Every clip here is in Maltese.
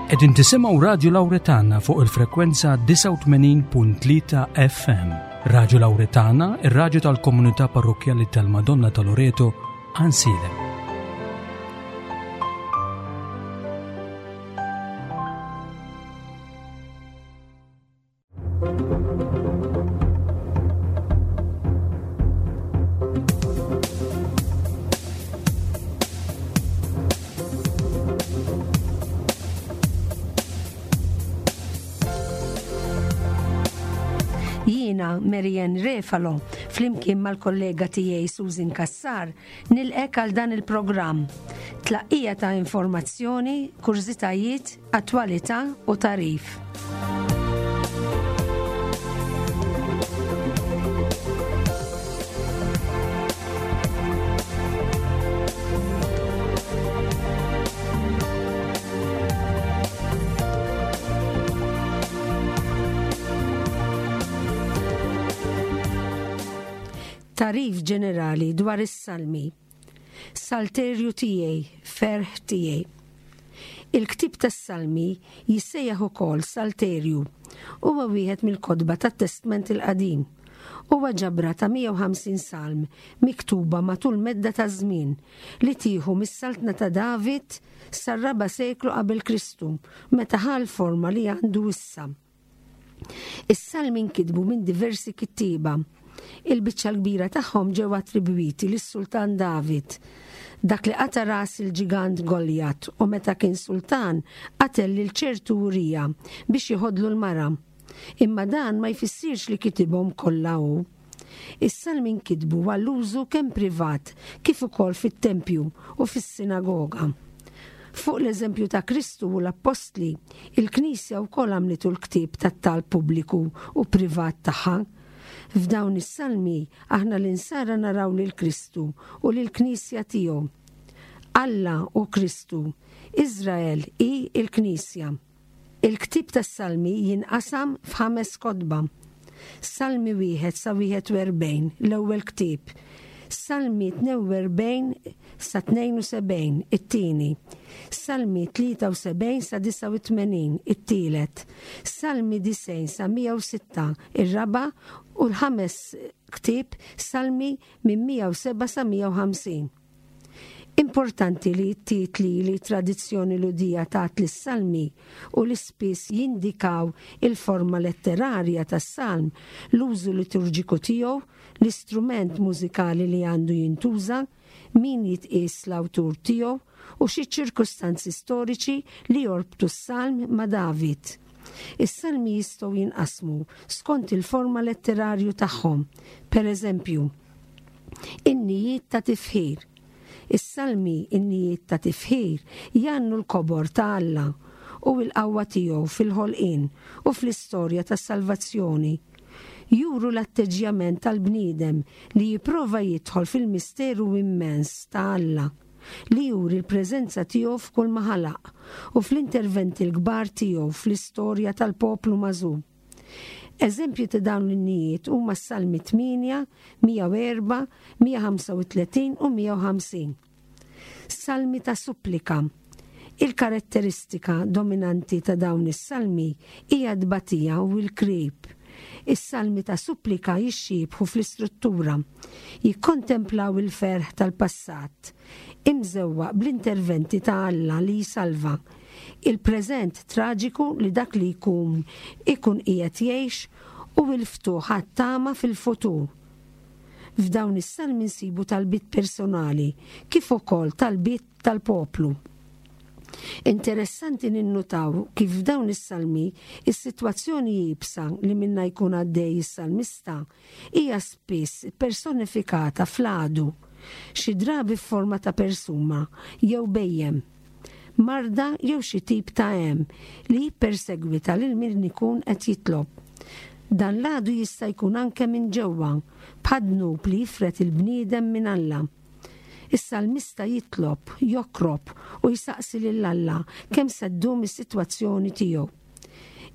Qegħdin tisimgħu Radju Lawretana fuq il-frekwenza 89.3 FM. Radju Lawretana, ir-radju tal-komunità parrokkjali tal-Madonna ta' Loreto, Ansilem. Jiena Marianne Refalo, flimkien mal-kollega tiegħi Susan Cassar, nilqek għal dan il-programm. Tlaqqija ta' informazzjoni, kurżitajiet, Attwalità u tagħrif. Tagħrif ġenerali dwar is-salmi. Salterju tiegħi, ferħ tiegħi. Il-ktieb tas-Salmi jissejjaħ ukoll Salterju. Huwa wieħed mill-kotba tat-Testment il-Qadim. Huwa ġabra ta' 150 salm miktuba matul medda ta' żmien li tieħu mis-saltna ta' David sar-raba' seklu qabel Kristu, meta ħa l-forma li għandu issa. Is-salmi nkitbu minn diversi kittieba. Il-biċċa l-kbira tagħhom ġew attribwiti lis-Sultan David, dak li qata' ras il-ġigant Goljat u meta kien sultan qatel lil ċertu Urija biex jiħodlu l-mara. Imma dan ma jfissirx li kitibhom kollha hu. Is-salmi nkitbu għall-użu kemm privat kif ukoll fit-tempju u fis-sinagoga. Fuq l-eżempju ta' Kristu u l-appostli, il-Knisja wkoll għamlitu l-ktieb tat-talb pubbliku u privat tagħha. F'dawn is-salmi aħna l-insara naraw lil Kristu u lill-Knisja tiegħu. Alla hu Kristu, Iżrael hi l-Knisja. Il-ktieb tas-Salmi jinqasam f'ħames kotba. Salmi wieħed sa 41, l-ewwel ktieb. Salmi 42 sa 72, it-tieni. Salmi 73 sa 89, it-tielet. Salmi 90 sa 106, ir-raba' u l-ħames ktieb Salmi minn 107 sa 150. Importanti li t-titli li t-tradizzjoni Lhudija tat lis-salmi u li spiss jindikaw il-forma letterarja tas-salm, l-użu liturġiku tiegħu, l-istrument mużikali li għandu jintuża, min jitqies l-awtur tiegħu, u xi ċirkustanzi storiċi li jorbtu s-salm ma' David. Is-salmi jistgħu jinqasmu skont il-forma letterarju tagħhom. Pereżempju, Innijiet ta' tifħir. Is-salmi innijiet ta' tifħir jgħannu l-kobor ta' Alla u l-qawwa tiegħu fil-ħolqien u fl-istorja tas-salvazzjoni. Juru l-atteġġjament tal-bniedem li jipprova jidħol fil-misteru immens ta' Alla, li juri l-preżenza tiegħu f'kull ma ħalaq u fl-interventi l-kbar tiegħu fl-istorja tal-poplu magħżul. Eżempji ta' dawn l-innijiet huma s-Salmi 8, 104, 135 u 150. Salmi ta' supplika. Il-karatteristika dominanti ta' dawn is-salmi hija t-tbatija u l-krib. Is-salmi ta' supplika jixxiebħu fl-istruttura. Jikkontemplaw il-ferħ tal-passat, imżewwaq bl-interventi ta' Alla li jsalva, il-preżent traġiku li dak li jkun ikun qiegħed jgħix u l-ftuħ għat-tama fil-futur. F'dawn is-salmi nsibu talbiet personali kif ukoll talbiet tal-poplu. Interessanti ninnutaw kif f'dawn is-salmi is-sitwazzjoni iebsa li minnha jkun għaddej is-salmista hija spiss ppersonifikata fl-għadu, xi drabi f'forma ta' persuna jew bhejjem. marda jew xi tip ta' hemm li jippersegwita lil min ikun qed jitlob. Dan l-għadu jista' jkun anke minn ġewwa, bħad-dnub li jifred il-bniedem minn Alla. Is-salmista jitlob, jokrob u jsaqsi lil Alla kemm se ddum is-sitwazzjoni tiegħu.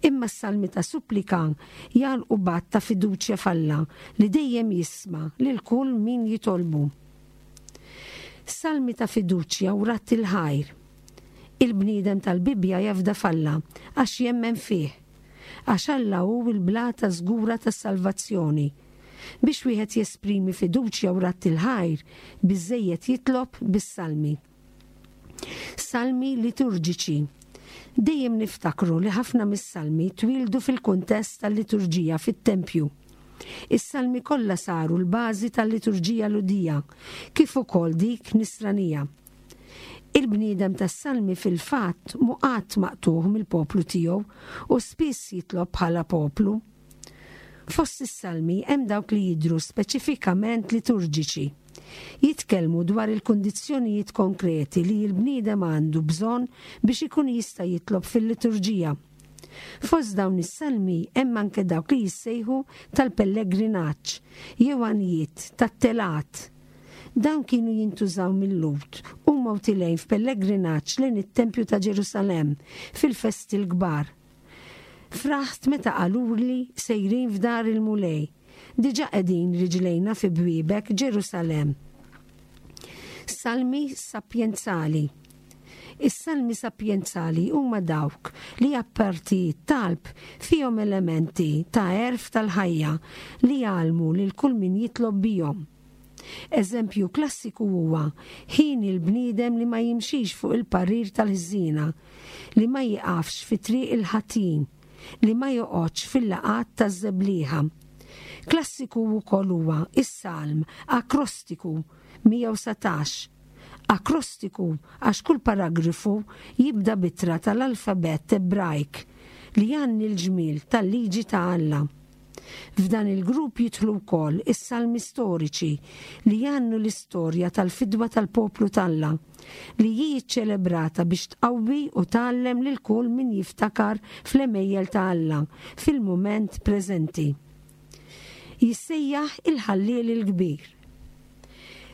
Imma s-salmi ta' supplika jagħlqu b'att ta' fiduċja f'Alla li dejjem jisma' lil kull min jitolbu. Salmi ta' fiduċja u radd il-ħajr. Il-bniedem tal-Bibbja jafda f'Alla għax jemmen fih. Għax Alla hu l-blata żgura tas-salvazzjoni. Biex wieħed jesprimi fiduċja u radd il-ħajr, biżżejjed jitlob bis-salmi. Salmi liturġiċi. Dejjem niftakru li ħafna mis-salmi twieldu fil-kuntest tal-liturġija fit-tempju. Is-salmi kollha saru l-bażi tal-liturġija Lhudija, kif ukoll dik Nisranija. Il-bniedem tas-salmi fil-fatt mhu qatt maqtugħ mill-poplu tiegħu u spiss jitlob bħala poplu. Fost is-salmi hemm dawk li jidhru speċifikament liturġiċi. Jitkellmu dwar il-kundizzjonijiet konkreti li l-bniedem għandu bżonn biex ikun jista' jitlob fil-liturġija. Fost dawn is-salmi hemm anke dawk li jissejħu tal-pellegrinaġġ jew għanjiet tat-telgħat. Dawn kienu jintużaw mil-Lhud huma u tilgħin f'pellegrinaġġ lejn it-Tempju ta' Ġerusalemm fil-festi l-kbar. Fraħt meta qaluli sejrin f'dar il-Mulej. Diġà qegħdin riġlejna fi bwiebek, Ġerusalemm. Salmi sapjenzali. Is-salmi sapjenzali huma dawk li apparti t-talb fihom elementi ta' għerf tal-ħajja li jgħallmu lil kull min jitlob bihom. Eżempju klassiku huwa ħieni l-bniedem li ma jimxix fuq il-parir tal-ħżiena, li ma jieqafx fi triq il-ħatjin, li ma joqgħodx fil-laqgħat taż-żeblieħa. Klassiku wkoll huwa s-salm akrostiku 119. Akrostiku għax kull paragrafu jibda b'ittra tal-alfabett Ebrajk li jgħanni l-ġmiel tal-liġi ta' Alla. F'dan il-grupp jidħlu wkoll is-salmi storiċi li jgħannu l-istorja tal-fidwa tal-poplu t'Alla, li hi ċċelebrata biex tqawwi u tgħallem lil kull min jiftakar fl-għemejjel ta' Alla fil-mument preżenti. Jissejjaħ il-Ħalliel il-Kbir.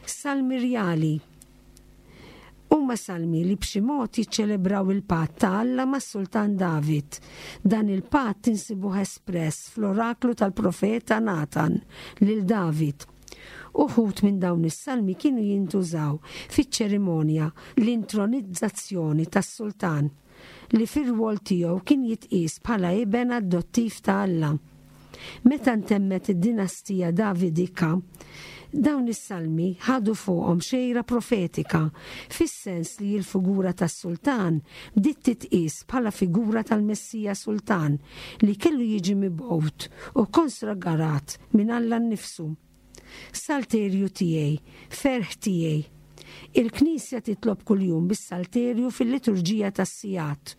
Salmi Rjali. Huma salmi li b'xi mod jiċċelebraw il-patt ta' Alla mas-Sultan David. Dan il-patt insibuh espress fl-oraklu tal-profeta Natan lil David. Uħud minn dawn is-salmi kienu jintużaw fiċ-ċerimonja l-intronizzazzjoni tas-sultan. li fir-rwol tiegħu kien jitqies bħala iben adottiv ta' Alla. Meta ntemmet id-dinastija Davidika, dawn is-salmi ħadu fuqhom xejra profetika, fis-sens li l-figura tas-sultan bdiet titqies bħala figura tal-Messija Sultan li kellu jiġi mibgħut u konsagarat minn Alla nnifsu. Salterju tiegħi, ferħ tiegħi. Il-Knisja titlob kuljum bis-Salterju fil-liturġija tas-sigħat.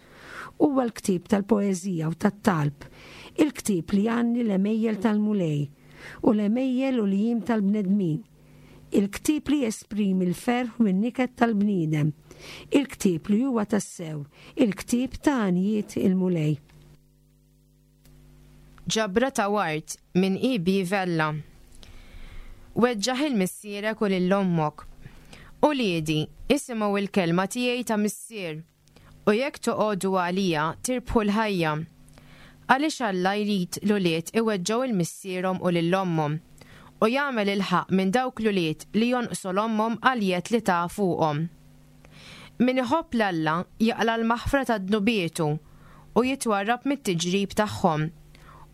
Huwa l-ktieb tal-poeżija u tat-talb, il-ktieb li jgħanni l-għemejjel tal-Mulej u l-għemejjel u l-jiem tal-bnedmin, il-ktieb li jesprimi l-ferħ u n-niket tal-bniedem, il-ktieb li huwa tassew il-ktieb ta' għanjiet il-Mulej. Ġabra ta' ward minn E. B. Vella. Weġġaħ il missierek u lil ommok. Uliedi, isimgħu il-kelma tiegħi ta' missier, u jekk toqogħdu għalija tirbħu l-ħajja. Għaliex Alla jrid l-ulied iweġġgħu 'l missierhom u lil ommhom, u jagħmel il-ħaqq minn dawk l-ulied li jonqsu 'l ommhom għall-jedd li ta fuqhom. Min iħobb 'l Alla jaqla' l-maħfra ta' dnubietu u jitwarrab mit-tiġrib tagħhom,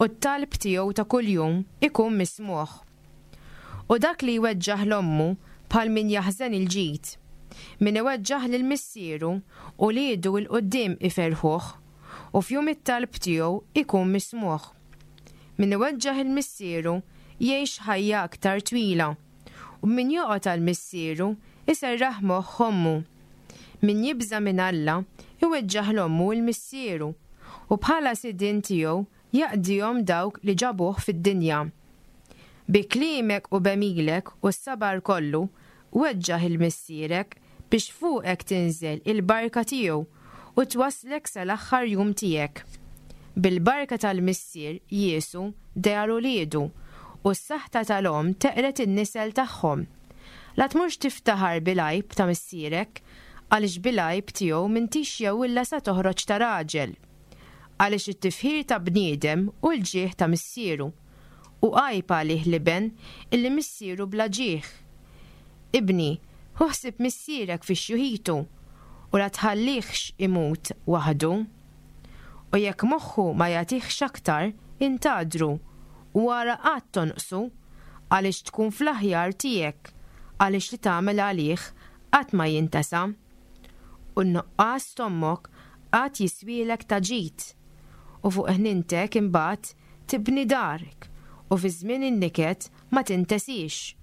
u t-talb tiegħu ta' kuljum ikun mismugħ. U dak li jweġġaħ 'l ommu bħal min jaħżen il-ġid. Min iweġġaħ lil missieru, uliedu 'l quddiem iferrħuh, u f'jum it-talb tiegħu ikun mismugħ. Min iweġġaħ 'il missieru jgħix ħajja aktar twila. U min joqgħod għal missieru, iserraħ moħħ ommu. Min jibża' minn Alla, iweġġaħ 'l ommu u 'l missieru, u bħala sidien tiegħu jaqdihom dawk li ġabuh fid-dinja. Bi kliemek u b'għemilek u s-sabar kollu, weġġaħ 'il missierek biex fuqek tinżel il-barka tiegħu u twasslek sal-aħħar jum tiegħek. Bil-barka tal-missier jiesu dehar uliedu, u s-saħta tal-omm teqred in-nisel tagħhom. La tmurx tiftaħar bil-għajb ta' missierek, għaliex bil-għajb tiegħu m'intix jewwilla sa toħroġ ta' raġel. Għaliex it-tifħir ta' bniedem hu l-ġieħ ta' missieru, u għajb għalih l-iben illi missieru bla ġieħ. Ibni, ħu ħsieb missierek fi xjuħitu, u la tħallihx imut waħdu. U jekk moħħu ma jagħtihx aktar, intgħadru, u ara qatt tonqsu, għaliex tkun fl-aħjar tiegħek, għaliex li tagħmel għalih qatt ma jintesa. U n-nuqqas t'ommok qatt jiswielek ta' ġid, u fuq ħnintek imbagħad tibni darek, u fi żmien in-niket ma tintesiex,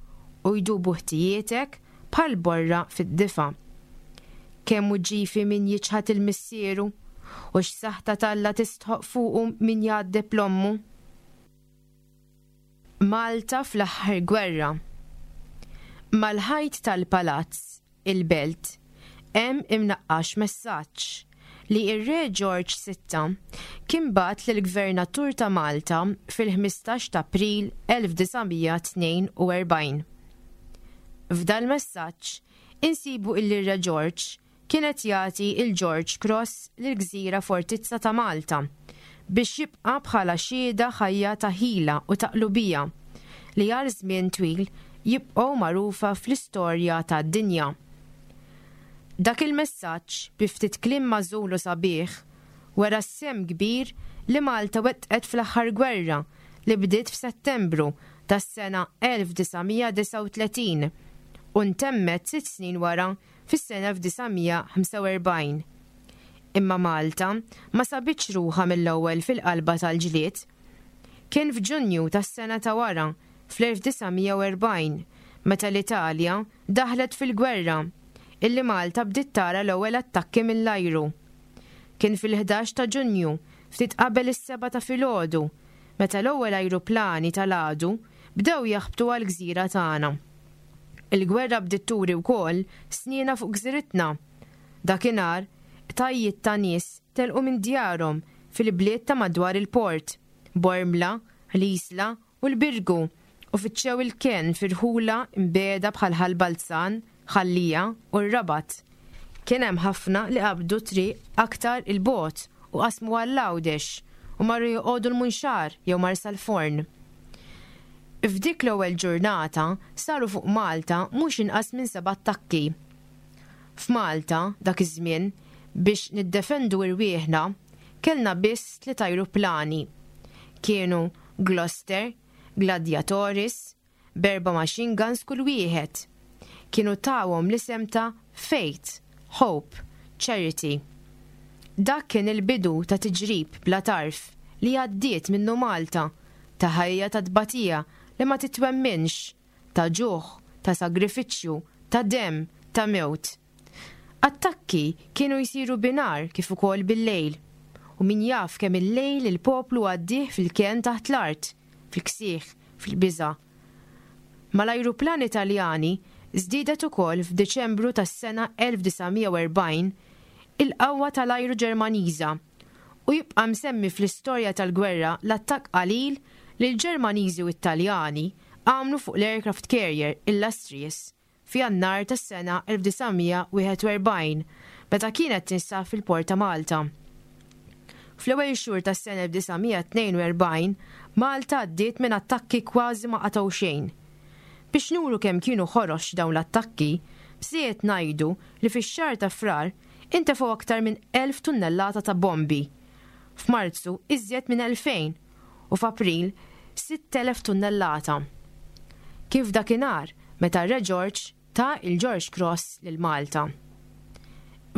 u jdubu ħtijietek bħal borra fid-difa. Kemm hu ġifi min jiċħad 'il missieru, u x'saħta t'Alla tistħoqq fuqu min jgħaddeb 'l ommu. Malta fl-aħħar gwerra. Mal-ħajt tal-palazz, il-Belt, hemm imnaqqax messaġġ li r-Re Ġorġ Sitta kien bagħat lill-Gvernatur ta' Malta fil-15 t'April 1942. F'dal-messaġġ insibu illi r-Re Ġorġ kien qed jagħti l-George Cross lill-gżira fortizza ta' Malta biex jibqa' bħala xhieda ħajja ta' ħila u ta' qlubija li għal żmien twil jibqgħu magħrufa fl-istorja tad-dinja. Dak il-messaġġ, bi ftit kliem magħżul u sabiħ, wera s-sehem kbir li Malta wettqet fl-aħħar gwerra li bdiet f'Settembru tas-sena 1939 u ntemmet sitt snin wara fis-sena 1945. Imma Malta ma sabitx ruħha mill-ewwel fil-qalba tal-ġlied. Kien f'Ġunju tas-sena ta' wara, fl-1940, meta l-Italja daħlet fil-gwerra, illi Malta bdiet tara l-ewwel attakki mill-ajru. Kien fil-11 ta' Ġunju, ftit qabel is-sebgħa ta' filgħodu, meta l-ewwel ajruplani tal-għadu bdew jaħbtu għall-gżira tagħna. Il-gwerra bdiet turi wkoll snienha fuq gżiritna. Dakinhar, qtajjiet ta' nies telqu minn djarhom fil-bliet ta' madwar il-port, Bormla, l-Isla u l-Birgu, u fittxew il-kenn fi rħula mbiegħda bħal Ħal Balzan, Ħal Lija u r-Rabat. Kien hemm ħafna li qabdu triq aktar 'il bogħod u qasmu għall-Għawdex u marru joqogħdu l-Munxar jew Marsalforn. F'dik l-ewwel ġurnata saru fuq Malta mhux inqas minn seba' attakki. F'Malta, dak iż-żmien, biex niddefendu irwieħna, kellna biss tliet ajruplani. Kienu Gloster, Gladiatoris, b'erba' machine guns kull wieħed. Kienu tawhom l-isem ta' Faith, Hope, Charity. Dak kien il-bidu ta' tiġrib bla tarf li għaddiet minnu Malta ta' ħajja ta' tbatija li ma titwemminx, ta' ġuħ, ta' sagrifiċċju, ta' demm, ta' mewt. Attakki kienu jsiru binhar kif ukoll bil-lejl. U min jaf kemm il-lejl il-poplu għaddieh fil-kenn taħt l-art, fil-ksieħ, fil-biża'. Mal-ajruplani Taljani żdiedet ukoll f'Diċembru tas-sena 1940 il-qawwa tal-ajru Ġermaniża u jibqa' msemmi fl-istorja tal-gwerra l-attakk qalil li l-Ġermaniżi u t-Taljani għamlu fuq l-aircraft carrier Illustrious f'Jannar tas-sena 1941 meta kienet tinsab fil-port ta' Malta. Fl-ewwel xhur tas-sena 1942 Malta għaddiet minn attakki kważi ma qatgħu xejn. Biex nuru kemm kienu ħorox dawn l-attakki, bżejjed ngħidu li fix-xahar ta' Frar Intefgħu aktar minn 1,000 tunnellata ta' bombi, f'Marzu iżjed minn 2,000 u f'April 6,000 tunnellata. Kif dakinhar meta r-Re Ġorġ ta l-George Cross lil Malta.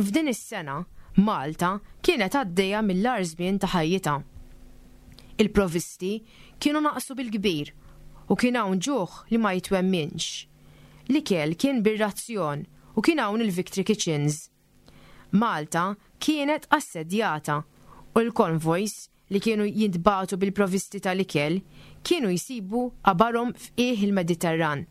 F'din is-sena Malta kienet għaddejja mill-agħar żmien ta' ħajjitha. Il-provvisti kienu naqsu bil-kbir u kien hawn ġuħ li ma jitwemminx. L-ikel kien bir-razzjon u kien hawn il-Victory Kitchens. Malta kienet assedjata u l-konvojs li kienu jintbagħtu bil-provvisti tal-ikel kienu jsibu qabarhom f'qiegħ il-Mediterran.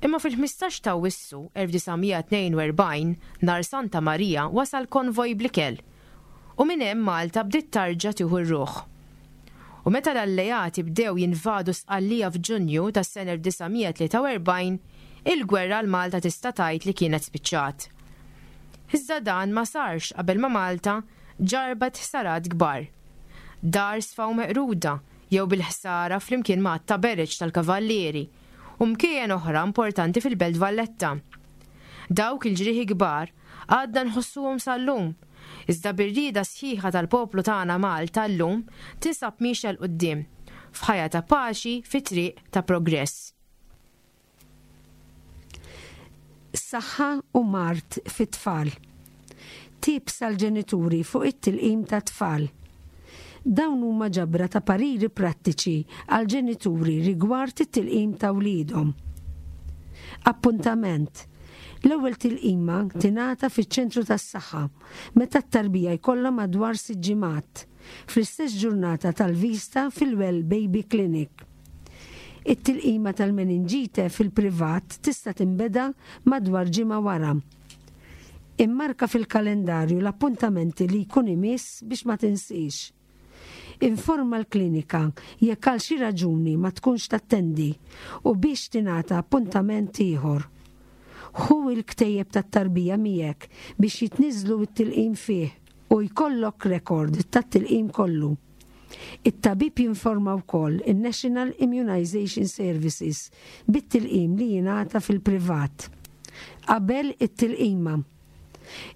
Imma fil-15 ta' Awwissu 1942, nhar Santa Marija wasal konvoj bl-ikel u minn hemm Malta bdiet tarġa' tieħu r-ruħ. U meta l-Alleati bdew jinvadu Sqallija f'Ġunju tas-sena 1943, il-gwerra għal Malta tista' tgħid li kienet spiċċat. Iżda dan ma sarx qabel ma Malta ġarrbet ħsarat kbar. Dar sfaw meqruda jew bil-ħsara flimkien ma' għadd ta' bereġ tal-Kavallieri u mkejjen oħra importanti fil-Belt Valletta. Dawk il-ġrieħi kbar. Għadna nħossuhom sal-lum. Iżda bir-rieda sħiħa tal-poplu tagħna Malta llum tinsab miexja 'l quddiem, f'ħajja ta' paċi fi triq ta' progress. Saħħa u mard fit-tfal. Tips għall-ġenituri fuq it-tilqim tat-tfal. Dawn huma ġabra ta' pariri prattiċi għall-ġenituri rigward it-tilqim ta' wliedhom. Appuntament. L-ewwel tilqima tingħata fiċ-ċentru tas-saħħa meta t-tarbija jkollha madwar sitt ġimgħat, fl-istess ġurnata tal-viżta fil-Well Baby Clinic. It-tilqima tal-meninġite fil-privat tista' tinbeda madwar ġimgħa wara. Immarka fil-kalendarju l-appuntamenti li jkun imiss biex ma tinsiex. Informa l-klinika jekk għal xi raġuni ma tkunx tattendi u biex tingħata appuntament ieħor. Ħu l-ktejjeb tat-tarbija miegħek biex jitniżżlu t-tilqim fih u jkollok rekord tat-tilqim kollu. It-tabib jinforma wkoll in-National Immunisation Services bit-tilqim li jingħata fil-privat. Qabel it-tilqima.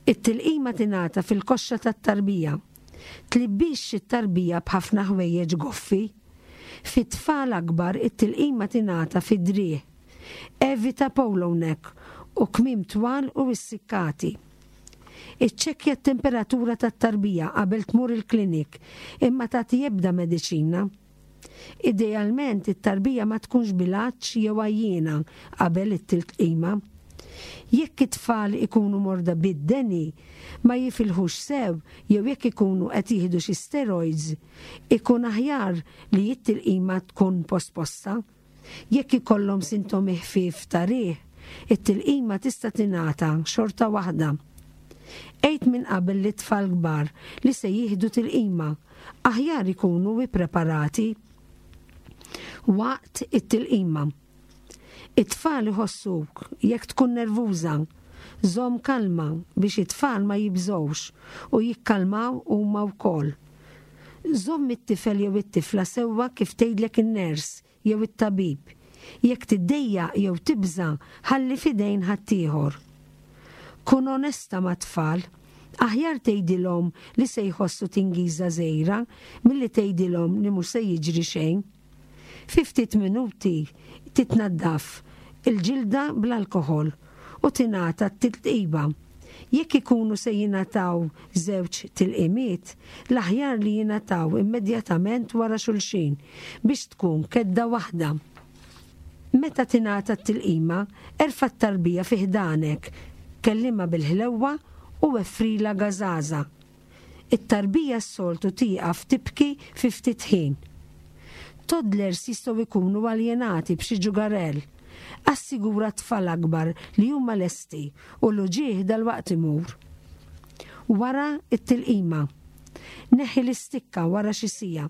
It-tilqima tingħata fil-koxxa tat-tarbija. Tlibbixx it-tarbija b'ħafna ħwejjeġ goffi. Fi tfal akbar it-tilqima tingħata fid-driegħ. Evita polo neck u kmiem twal u issikkati. Iċċekkja t-temperatura tat-tarbija qabel tmur il-klinik imma tagħti ebda mediċina. Idealment it-tarbija ma tkunx bil-għatx jew għajjiena qabel it-tilqima. Jekk it-tfal ikunu morda bid-deni, ma jifilħux sew jew jekk ikunu qed jieħdu xi steroids, ikun aħjar li t-tilqima tkun posposta. Jekk ikollhom sintomi ħfief ta' riħ, it-tilqima tista' tingħata xorta waħda. Għid minn qabel lit-tfal kbar li se jieħdu tilqima, aħjar ikunu ippreparati waqt it-tilqima. It-tfal iħossuk jekk tkun nervuża. Żomm kalma biex it-tfal ma jibżgħux u jikkalmaw huma wkoll. Żomm it-tifel jew it-tifla sewwa kif tgħidlek in-ners jew it-tabib. Jekk tiddejjaq jew tibża' ħalli f'idejn ħaddieħor. Kun onesta mat-tfal. Aħjar tgħidilhom li se jħossu tingiża żgħira milli tgħidilhom li mhux se jiġri xejn. Fi ftit minuti titnaddaf il-ġilda bl-alkoħol u tingħata t-tilqiba. Jekk ikunu se jingħataw żewġ tilqimiet, l-aħjar li jingħataw immedjatament wara xulxin biex tkun kedda waħda. Meta tingħata t-tilqima, erfa' t-tarbija fi ħdanek, kellimha bil-ħlewwa u weffrilha gażaża. It-tarbija s-soltu tieqaf tibki fi ftit ħin. Toddlers jistgħu jkunu aljenati b'xi ġugarell. Assigura t-tfal akbar li huma lesti u l-uġigħ dalwaqt imur. Wara t-tilqima. Neħħi l-istikka wara xi siegħa.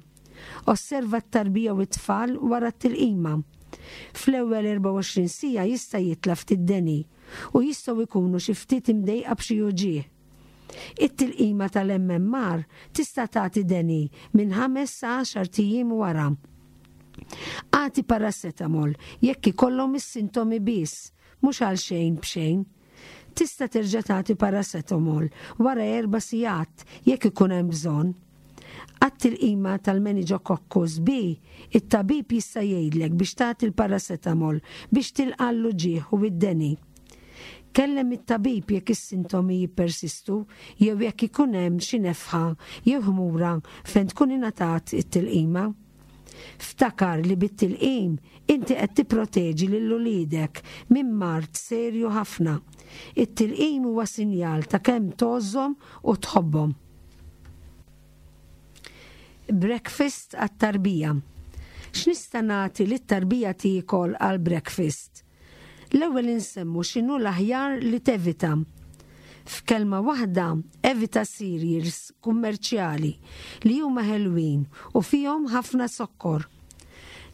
Osserva t-tarbija u t-tfal wara t-tilqima. Fl-ewwel 24 siegħa jista' jitla' ftit deni u jistgħu jkunu xi ftit imdejqa b'xi uġigħ. It-tilqima tal-MMR tista' tagħti deni minn ħames sa għaxart ijiem wara. Agħti paracetamol jekk ikollhom is-sintomi biss, mhux għal xejn b'xejn. Tista' terġa' tagħti paracetamol wara erba' sigħat jekk ikun hemm bżonn. Għat-tilqima tal-Meningococcus B, it-tabib jista' jgħidlek biex tagħti l-paracetamol biex tilqa' l-uġigħ u d-deni. Kellem it-tabib jekk is-sintomi jippersistu jew jekk ikun hemm xi nefħa jew ħmura fejn tkun ingħatat it-tilqima. Ftakar li bit-tilqim inti qed tipproteġi lil uliedek minn mard serju ħafna. It-tilqim huwa sinjal ta' kemm tgħożżhom u tħobbhom. Breakfast għat-tarbija. X'nista' nagħti lit-tarbija tiekol għal breakfast? L-ewwel insemmu x'inhu l-aħjar li tevita. F'kelma waħda, evita cereals kummerċjali li huma ħelwin u fihom ħafna zokkor.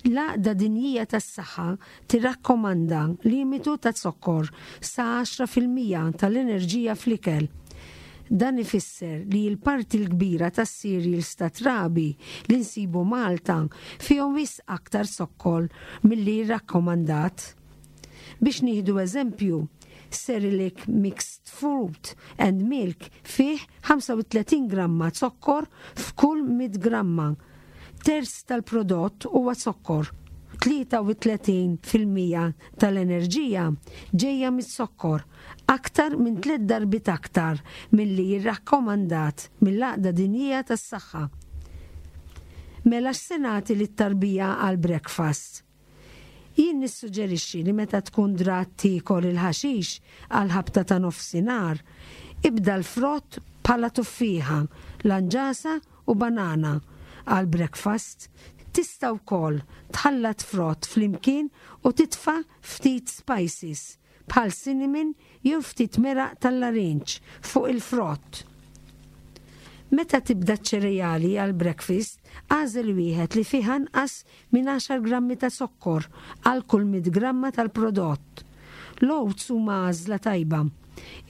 L-Għaqda Dinjija tas-Saħħa tirrakkomanda limitu ta' zokkor sa 10% tal-enerġija fl-ikel. Dan ifisser li l-parti l-kbira tas-cereals ta' trabi li nsibu Malta fihom wisq aktar zokkor milli rrakkomandat. Biex nieħdu eżempju, Cerelac Mixed Fruit and Milk fih 35 gramma zokkor f'kull 100 gramma. Terz tal-prodott huwa zokkor. 33% tal-enerġija ġejja miz-zokkor, aktar minn tliet darbiet aktar milli jirrakkomandat mill-Għaqda Dinjija tas-Saħħa. Mela x'se nagħti lit-tarbija għall-breakfast? Jien nissuġġerixxi li meta tkun drat tiekol il-ħaxix għall-ħabta ta' nofsinhar, ibda l-frott bħala tuffieħa, lanġasa u banana għall-breakfast. Tista' wkoll tħallat frott flimkien u titfa' ftit spices bħal cinnamon jew ftit meraq tal-larinġ fuq il-frott. Meta tibda ċ-ċereali għall-breakfast, agħżel wieħed li fih anqas minn għaxar grammi ta' zokkor għal kull mitt gramma tal-prodott. L-oats huma għażla tajba.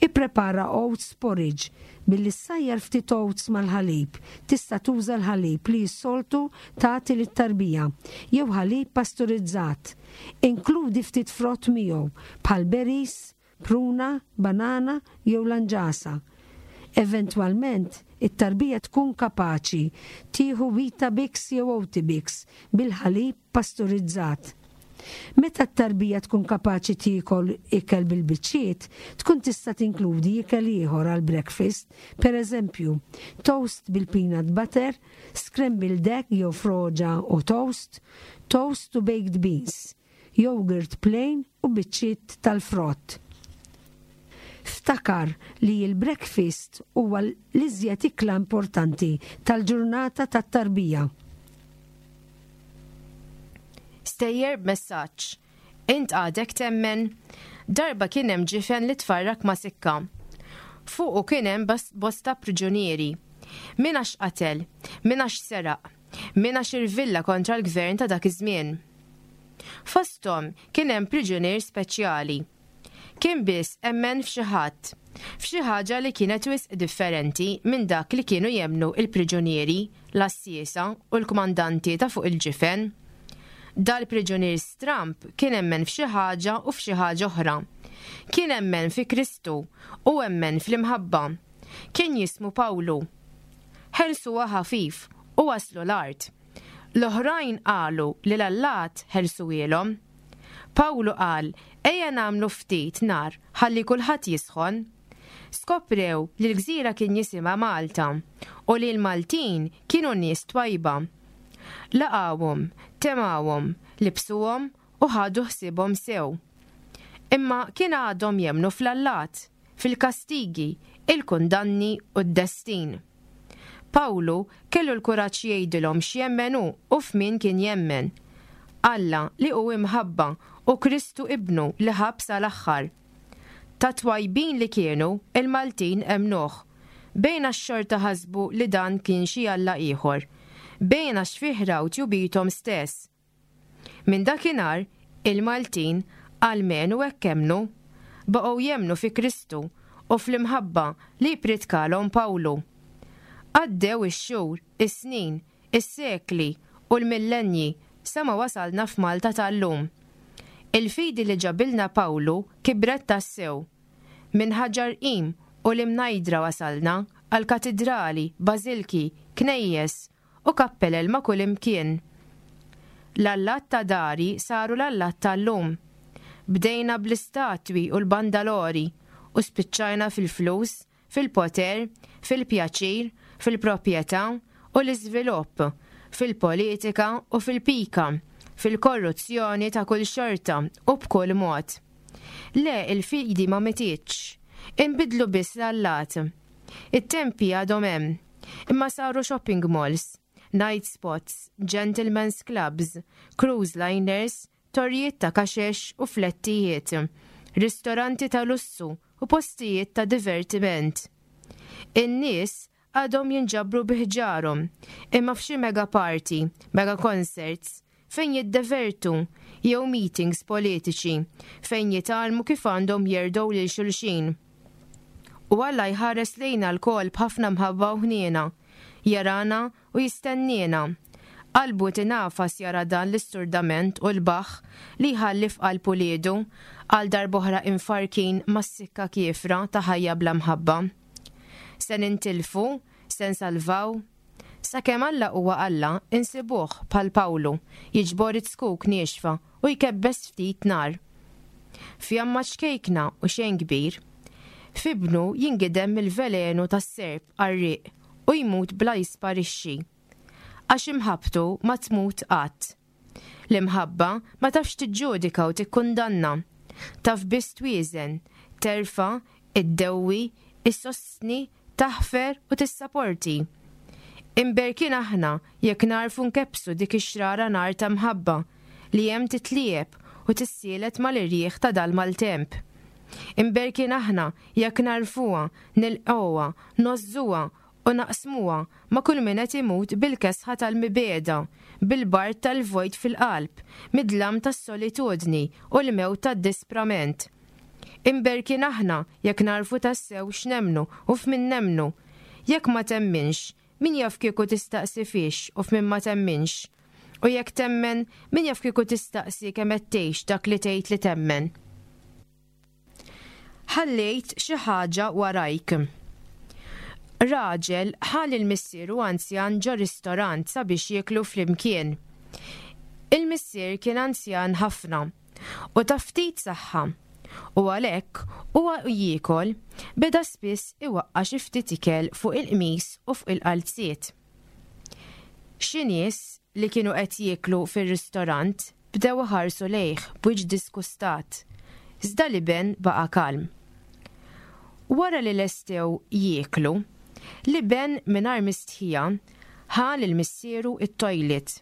Ipprepara oats porridge billi ssajjar ftit oats mal-ħalib, tista' tuża l-ħalib li s-soltu tagħti lit-tarbija jew ħalib pasturizzat. Inkludi ftit frott miegħu, bħal berries, pruna, banana jew lanġasa. Eventwalment, it-tarbija tkun kapaċi tieħu Weetabix jew Oatibix bil-ħalib pasturizzat. Meta t-tarbija tkun kapaċi tiekol ikel bil-biċċiet, tkun tista' tinkludi ikel ieħor għall-breakfast, pereżempju, toast bil-peanut butter, scrambled egg jew froġa u toast, toast u baked beans, yogurt plain u biċċiet tal-frott. Ftakar li l-breakfast huwa l-iżjed ikla importanti tal-ġurnata tat-tarbija. Stejjer b'messaġġ. Int għadek temmen? Darba kien hemm ġifen li tfarrak ma' sikka. Fuqu kien hemm bosta priġunieri. Min għax qatel, min għax seraq, min għax irvilla kontra l-gvern ta' dak iż-żmien. Fosthom kien hemm priġunier speċjali. Kien biss emmen f'xi ħadd, f'xi ħaġa li kienet wisq differenti minn dak li kienu jemmnu l-priġunieri, l-għassiesa u l-kmandanti ta' fuq il-ġifen. Dal-priġunier stramb kien emmen f'xi ħaġa u f'xi ħaġa oħra. Kien emmen fi Kristu u emmen fl-imħabba. Kien jismu Pawlu. Ħelsuha ħafif u waslu l-art. L-oħrajn qalu li l-allat ħelsuhielhom. Pawlu qal, Ejja nagħmlu ftit nar ħalli kulħadd jisħon. Skoprew li l-gżira kien jisimha Malta u li l-Maltin kienu nies twajba. Laqgħuhom, temgħuhom, libsuhom u ħadu ħsiebhom sew. Imma kien għadhom jemmnu fl-allat, fil-kastigi, il-kundanni u d-destin. Pawlu kellu l-kuraġġ jgħidilhom x'jemmen hu u f'min kien jemmen. Alla li hu imħabba u Kristu Ibnu li ħabb sal-aħħar. Ta' twajbin li kienu, il-Maltin emmnuh. Bejn għax xorta ħasbu li dan kien xi alla ieħor. Bejn għax fih raw tjubithom stess. Minn dakinhar, il-Maltin, almenu hekk emmnu, baqgħu jemmnu fi Kristu u fl-imħabba li ppritkalhom Pawlu. Għaddew ix-xhur, is-snin, is-sekli u l-millennji sa ma wasalna f'Malta tal-lum. Il-fidi li ġabilna Pawlu kibret tassew. Minn Ħaġar Qim u l-Imnajdra wasalna għal katidrali, bażilki, knejjes u kappelel ma' kull imkien. L-allat ta' dari saru l-allat tal-lum. Bdejna bl-istatwi u l-bandalori u spiċċajna fil-flus, fil-poter, fil-pjaċir, fil-proprjetà u l-iżvilupp, fil-politika u fil-pika, fil-korruzzjoni ta' kull xorta u b'kull mod. Le, il-fidi ma mitietx. Inbidlu biss l-allat. It-tempji għadhom hemm, imma saru shopping malls, night spots, gentlemen's clubs, cruise liners, torrijiet ta' kaxex u flettijiet, ristoranti ta' lussu u postijiet ta' divertiment. In-nies għadhom jinġabru bi ħġarhom, imma f'xi mega party, mega concerts, fejn jiddevertu, jew meetings politiċi, fejn jitgħallmu kif għandhom jerdgħu lil xulxin. U Alla jħares lejna lkoll b'ħafna mħabba u ħniena, jarana u jistenniena. Qalbu tingħafas jara dan l-isturdament u l-baħħ li jħalli f'qalb uliedu, għal darb'oħra imfarrkin mas-sikka kiefra ta' ħajja bla mħabba. Se nintilfu? Se nsalvaw? Sakemm Alla huwa Alla, insibuh, bħal Pawlu, jiġbor iz-zkuk niexfa u jkebbes ftit nar. Fjamma ċkejkna u xejn kbir. F'ibnu jingidem mill-velenu tas-serp qarrieq u jmut bla jisparixxi. Għax imħabbtu ma tmut qatt. L-imħabba ma tafx tiġġudika u tikkundanna. Taf biss twieżen, terfa', iddewwi, issostni, taħfer u tissaporti. Imberkin aħna jekk nagħrfu nkebbsu dik ix-xrara nar ta' mħabba li hemm titliegħeb u tissielet mal-irjieħ ta' dal-maltemp. Imberkin aħna jekk nagħrfuha, nilqgħuha, ngħożżuha u naqsmuha ma' kull min qed imut bil-kesħa tal-mibegħda, bil-bard tal-vojt fil-qalb, mid-dlam tas-solitudni u l-mewt tad-disprament. Imberkin aħna jekk nagħrfu tassew x'nemmnu u f'min nemmnu. Jekk ma temminx, min jaf kieku tistaqsi fiex u f'min ma temminx. U jekk temmen, min jaf kieku tistaqsi kemm qed tgħix dak li tgħid li temmen. Ħallejt xi ħaġa warajk. Raġel ħa lil missieru anzjan ġo ristorant sabiex jieklu flimkien. Il-missier kien anzjan ħafna u ta' ftit saħħa u għalhekk huwa u jiekol beda spiss iwaqqa' xi ftit ikel fuq il-qmis u fuq il-qalziet. Xi nies li kienu qed jieklu fir-ristorant bdew iħarsu lejh b'wiċċ diskustat, iżda l-iben baqa' kalm. Wara li lestew jieklu, l-iben mingħajr mistħija ħa lil missieru t-toilet,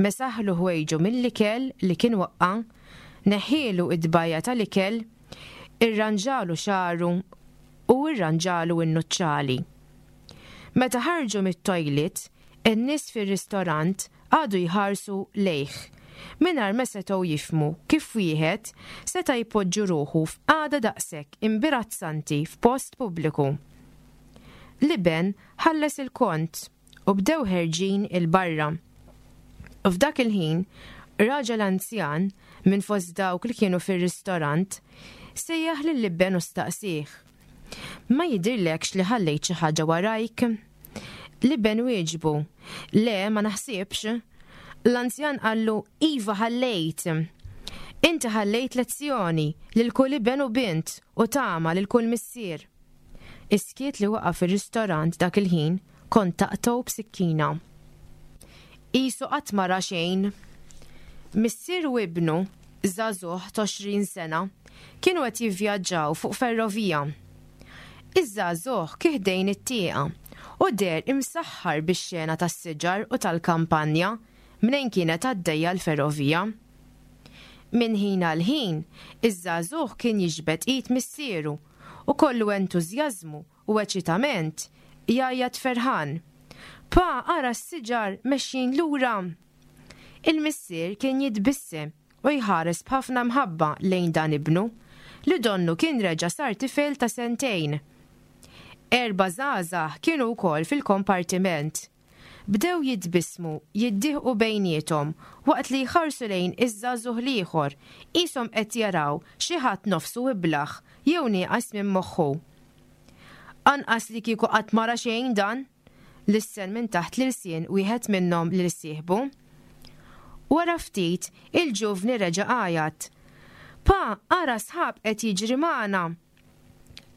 mesaħlu ħwejġu mill-ikel li kien waqqa', neħħielu t-tbajja tal-ikel, irranġalu xagħru u rranġalu n-nuċċali. Meta ħarġu mit-toilet, in-nies fir-ristorant qagħdu jħarsu lejh, mingħajr ma setgħu jifhmu kif wieħed seta' jpoġġu ruħu f'qagħda daqshekk imbirazzanti f'post pubbliku. L-iben ħalles il-kont u bdew ħerġin 'il barra. F'dak il-ħin, raġel anzjan minn fost dawk li kienu fir-ristorant sejjaħ lill-iben u staqsieh, Ma jidhirlekx li ħallejt xi ħaġa warajk? L-iben wieġbu, Le, ma naħsibx. L-anzjan qallu, Iva ħallejt. Inti ħallejt lezzjoni lil kull iben u bint u tama lil kull missier. Is-skiet li waqa' fir-ristorant dak il-ħin kont taqtgħu b'sikkina. Qisu qatt ma ra xejn. Missier u ibnu, żagħżugħ t'għoxrin sena, kienu qed jivvjaġġaw fuq ferrovija. Iż-żagħżugħ kien ħdejn it-tieqa u deher imsaħħar bix-xena tas-siġar u tal-kampanja mnejn kienet għaddejja l-ferrovija. Minn ħin għal ħin, iż-żagħżugħ kien jiġbed id missieru u kollu entużjażmu u eċitament jgħajjat ferħan, Pa, ara s-siġar mexjin lura! Il-missier kien jitbissem u jħares b'ħafna mħabba lejn dan ibnu, li donnu kien reġa' sar tifel ta' sentejn. Erbgħa żgħażagħ kienu wkoll fil-kompartiment. Bdew jitbissmu, jiddieħqu bejniethom waqt li jħarsu lejn iż-żagħżugħ l-ieħor, qishom qed jaraw xi ħadd nofsu iblah jew nieqas minn moħħu. Anqas li kieku qatt ma ra xejn dan! lissen minn taħt l-ilsien wieħed minnhom lil sieħbu. Wara ftit, il-ġuvni reġa' għajat, Pa, ara sħab qed jiġri magħna!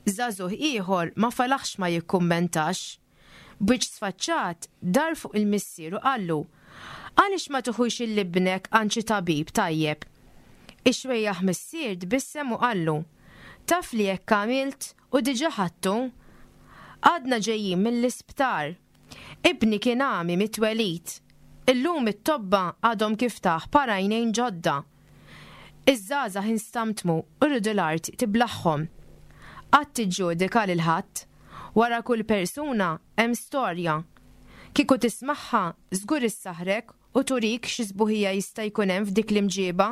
Żagħżugħ ieħor ma felaħx ma jikkummentax. B'wiċċ sfaċċat, dar fuq il-missier u qallu, Għaliex ma tiħux 'il ibnek għand xi tabib tajjeb? Ix-xwejjaħ missier tbissem u qallu, Taf li hekk għamilt u diġà ħadtu. Għadna ġejjin mill-isptar. Ibni kien għami mit-twelid. Illum it-tobba għadhom kif tah par għajnejn ġodda. Iż-żgħażagħ instamtmu u riedu l-art tiblagħhom. Qatt tiġġudika lil ħadd. Wara kull persuna hemm storja. Kieku tismagħha żgur issaħħrek u turik xi sbuħija jista' jkun hemm f'dik l-imġieba,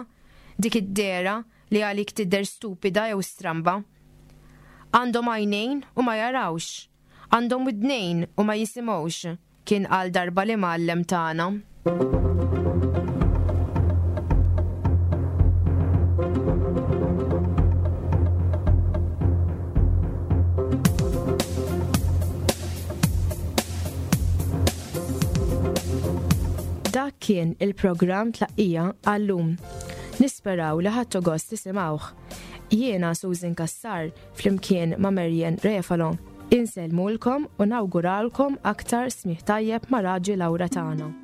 dik id-dehra li għalik tidher stupida jew stramba. Għandhom għajnejn u ma jarawx, għandhom widnejn u ma jisimgħux, kien qal darba l-imgħallem tagħna. Dak kien il-programm tlaqqija għallum. Nisperaw li ħadtu gost tisimgħuh. Jiena Susan Cassar flimkien ma' Marian Refalo. Insellmulkom u nawguralkom aktar smigħ tajjeb ma' Raġi Laura tagħna.